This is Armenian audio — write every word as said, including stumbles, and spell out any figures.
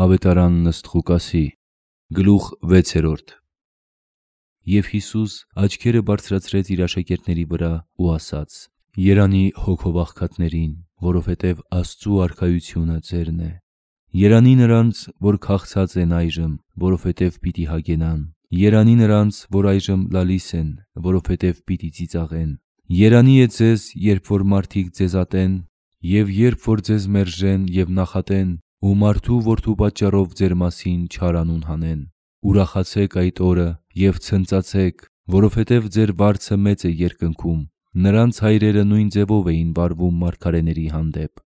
Ավետարան ըստ Ղուկասի, գլուխ վեցերորդ։ Եվ Հիսուս աչքերը բարձրացրեց իր աշակերտների վրա ու ասաց. «Երանի հոգով աղքատներին, որովհետև Աստծու արքայությունը ձերն է։ Երանի նրանց, որ քաղցած են այժմ, որովհետև պիտի հագենան։ Երանի նրանց, որ այժմ լալիս են, որովհետև պիտի ծիծաղեն։ Երանի է ձեզ, երբ որ մարդիկ ձեզ ատեն, և երբ որ ձեզ մերժեն և նախատեն ու մարդու որդու պատճառով ձեր մասին չար անուն հանեն։ Ուրախացե՛ք այդ օրը և ցնծացե՛ք, որովհետև ձեր վարձը մեծ է երկնքում։ Նրանց հայրերը նույն ձևով էին վարվում մարգարեների հանդեպ։